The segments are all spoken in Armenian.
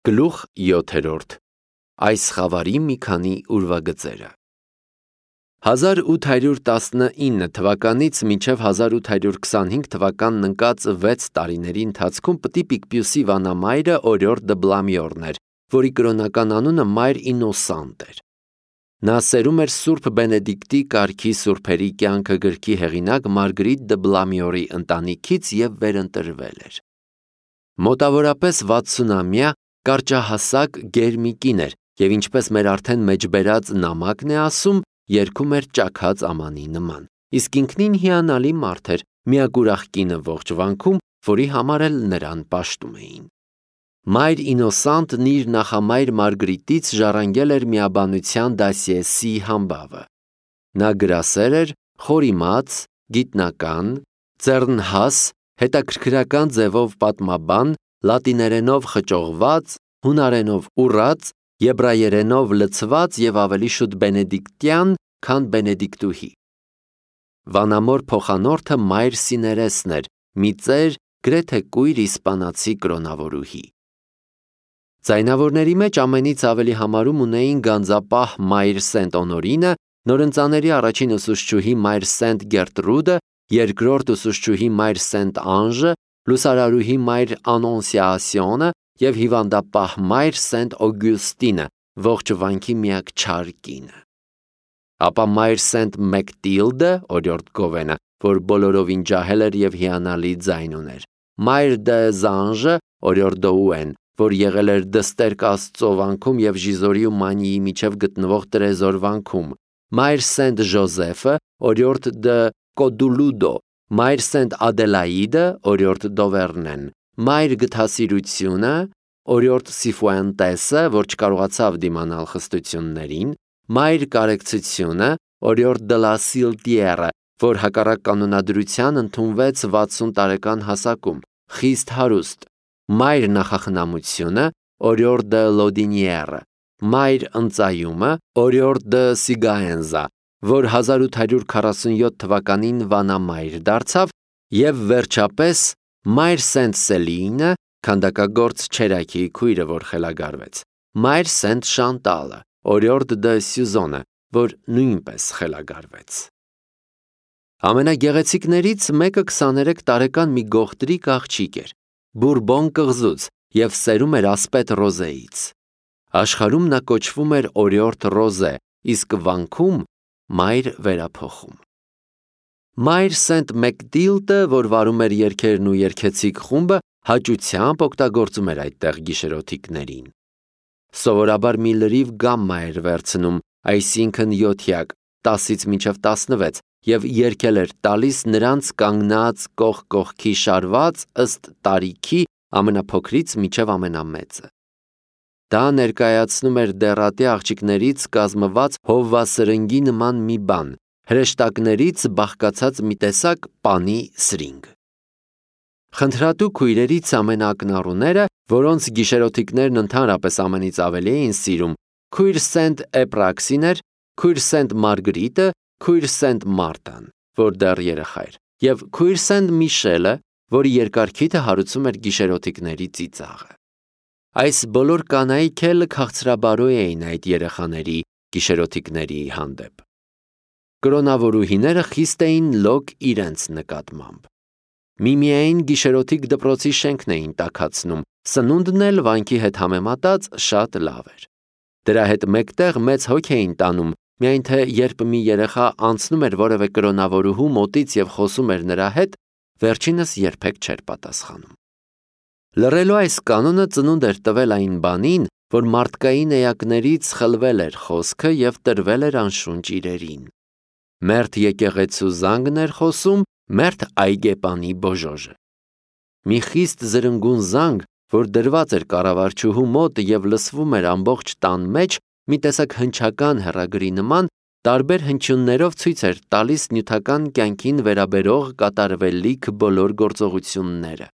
Գլուխ 7. Այս խավարի մի քանի ուրվագծերը։ 1819 թվականից մինչև 1825 թվականն ընկած 6 տարիների ընթացքում Պտի Պիկպիուսի վանամայրը Օրիորդ դը Բլամյորն էր, որի կրոնական անունը Մայր Ինոսանտ էր։ Նա սերում էր Սուրբ Բենեդիկտի կարգի սուրբերի կյանքը գրքի հեղինակ Մարգրիտ դը Բլամյորի ընտանիքից և վերընտրվել էր։ Մոտավորապես 60-ամյա կարճահասակ գեր մի կին էր և ինչպես մեր արդեն մեջբերած նամակն է ասում, երգում էր ճաքած ամանի նման, իսկ ինքնին հիանալի մարդ էր, միակ ուրախ կինը ողջ վանքում, որի համար էլ նրան պաշտում էին։ Մայր Ինոսանտն իր նախամայր Մարգրիտից ժառանգել էր միաբանության դասիեսի համբավը։ Նա գրասեր էր, խորիմաց, գիտնական, ձեռնհաս, հետաքրքրական ձևով պատմաբան, լատիներենով խճողված, հունարենով ուռած, եբրայերենով լցված և ավելի շուտ բենեդիկտյան, քան բենեդիկտուհի։ Վանամոր փոխանորդը Մայր Սիներեսն էր, մի ծեր, գրեթե կույր իսպանացի կրոնավորուհի։ Ձայնավորների մեջ ամենից ավելի համարում ունեին գանձապահ Մայր Սենտ Օնորինը, նորընծաների առաջին ուսուցչուհի Մայր Սենտ Գերտրուդը, երկրորդ ուսուցչուհի Մայր Սենտ Անժը, լուսարարուհի Մայր Անոնսիասիոնը և հիվանդապահ Մայր Սենտ Օգյուստինը, ողջ վանքի միակ չար կինը։ Ապա Մայր Սենտ Մեկտիլդը, օրիորդ Գովենը, որ բոլորովին ջահել էր և հիանալի ձայն ուներ, Մայր դը Զանժը, օրիորդ Դոուեն, որ եղել էր Դստերք Աստծո վանքում և Ժիզորի ու Մանիի միջև գտնվող Տրեզոր վանքում, Մայր Սենտ Ժոզեֆը, օրիորդ դը Կոդուլուդո, Մայր Սենտ Ադելաիդը, օրիորդ Դովերնեն, Մայր Գթասիրությունը, օրիորդ Սիֆուենտեսը, որ չկարողացավ դիմանալ խստություններին, Մայր Կարեկցությունը, օրիորդ դը Լա Սիլտիերը, որ հակառակ կանոնադրության ընդունվեց 60 տարեկան հասակում, խիստ հարուստ, Մայր Նախախնամությունը, օրիորդ դը Լոդինիերը, Մայր Ընծայումը, օրիորդ դը Սիգաենզա, որ 1847 թվականին վանամայր դարձավ, և վերջապես Մայր Սենտ Սելինը, քանդակագործ Չերակիի քույրը, որ խելագարվեց, Մայր Սենտ Շանտալը, օրիորդ դը Սյուզոնը, որ նույնպես խելագարվեց։ Ամենագեղեցիկներից մեկը 23 տարեկան մի գողտրիկ աղջիկ էր, Բուրբոն կղզուց և սերում էր ասպետ Ռոզեից։ Աշխարհում նա կոչվում էր օրիորդ Ռոզե, իսկ վանքում Մայր Վերափոխում։ Մայր Սենտ Մեկտիլդը, որ վարում էր երգերն ու երգեցիկ խումբը, հաճությամբ օգտագործում էր այդտեղ գիշերօթիկներին։ Սովորաբար մի լրիվ գամմա էր վերցնում, այսինքն 7-յակ, 10-ից մինչև 16, և երգել էր տալիս նրանց կանգնած կողք կողքի շարված ըստ տարիքի ամենափոքրից մինչև ամենամեծը։ Դա ներկայացնում էր դեռատի աղջիկներից կազմված հովվասրնգի նման մի բան, հրեշտակներից բաղկացած մի տեսակ պանի սրինգ։ Խնդրատու քույրերից ամենաակնառուները, որոնց գիշերօթիկներն ընդհանրապես ամենից ավելի էին սիրում, քույր Սենտ Էպրաքսին էր, քույր Սենտ Մարգրիտը, քույր Սենտ Մարտան, որ դեռ երեխա էր, և քույր Սենտ Միշելը, որի երկար հարուցում էր գիշերօթիկների ծիծաղը։ Այս բոլոր կանայք էլ քաղցրաբարոյ էին այդ երեխաների գիշերօթիկների հանդեպ։ Կրոնավորուհիները խիստ էին լոկ իրենց նկատմամբ։ Միմիային գիշերօթիկ դպրոցի շենքն էին տաքացնում, սնունդն էլ վանքի հետ համեմատած շատ լավ էր։ Դրա հետ մեկտեղ մեծ հոգ էին տանում, միայն թե երբ մի երեխա անցնում էր որևէ կրոնավորուհու մոտից և խոսում էր նրա հետ, վերջինս երբեք չէր պատասխանում։ Լռելու այս կանոնը ծնունդ էր տվել այն բանին, որ մարդկային էակներից խլվել էր խոսքը և տրվել էր անշունչ իրերին։ Մերթ եկեղեցու զանգն էր խոսում, մերթ այգեպանի բոժոժը։ Մի խիստ զրնգուն զանգ, որ դրված էր կառավարչուհու մոտ և լսվում էր ամբողջ տան մեջ, մի տեսակ հնչական հեռագրի նման, տարբեր հնչյուններով ցույց էր տալիս նյութական կյանքին վերաբերող կատարվելիք բոլոր գործողությունները։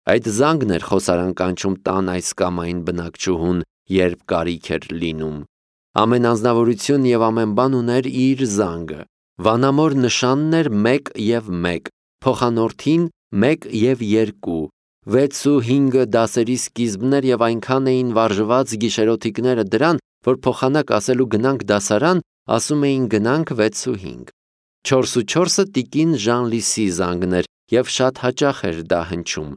Այդ զանգն էր խոսարան կանչում տան այս կամ այն բնակչուհուն, երբ կարիք էր լինում։ Ամեն անձնավորություն և ամեն բան ուներ իր զանգը։ Վանամոր նշանն էր 1 և 1, փոխանորդին 1 և 2, 6-5 դասերի սկիզբներ եւ այնքան էին վարժված գիշերօթիկները դրան, որ փոխանակ ասելու գնանք դասարան, ասում էին գնանք 6-5։ 4-4-ը տիկին Ժանլիսի զանգներ եւ շատ հաճախ էր դա հնչում։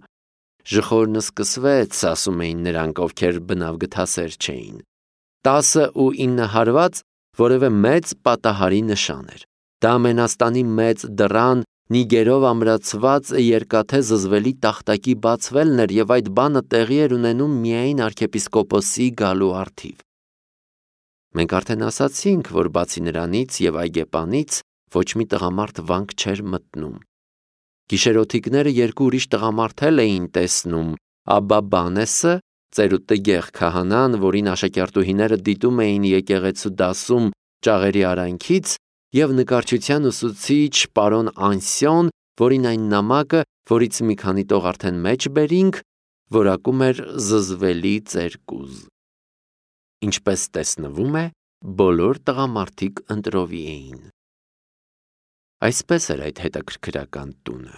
Ժխորն սկսվեց, ասում էին նրանք, ովքեր բնավ գթասեր չէին։ 10-9 հարված որևէ մեծ պատահարի նշան էր։ Դա Մենաստանի մեծ դռան նիգերով ամրացված երկաթե զզվելի տախտակի բացվելն էր եւ այդ բանը տեղի էր ունենում միայն arczepiskoposi գալու առթիվ։ Մենք արդեն ասացինք, որ բացի նրանից եւ այգեպանից ոչ մի տղամարդ վանք չէր մտնում։ Գիշերօթիկները երկու ուրիշ տղամարդ էին տեսնում՝ Աբբա Բանեսը, ծերուտտգեղ քահանան, որին աշակերտուհիները դիտում էին եկեղեցու դասում ճաղերի արանքից, եւ նկարչության ուսուցիչ պարոն Անսյոն, որին այն նամակը, որից մի քանի տող արդեն մեջ բերինք, որակում էր զզվելի ծերկուզ։ Ինչպես տեսնվում է, բոլոր տղամարդիկ ընտրովի էին։ Այսպես էր այդ հետաքրքրական տունը։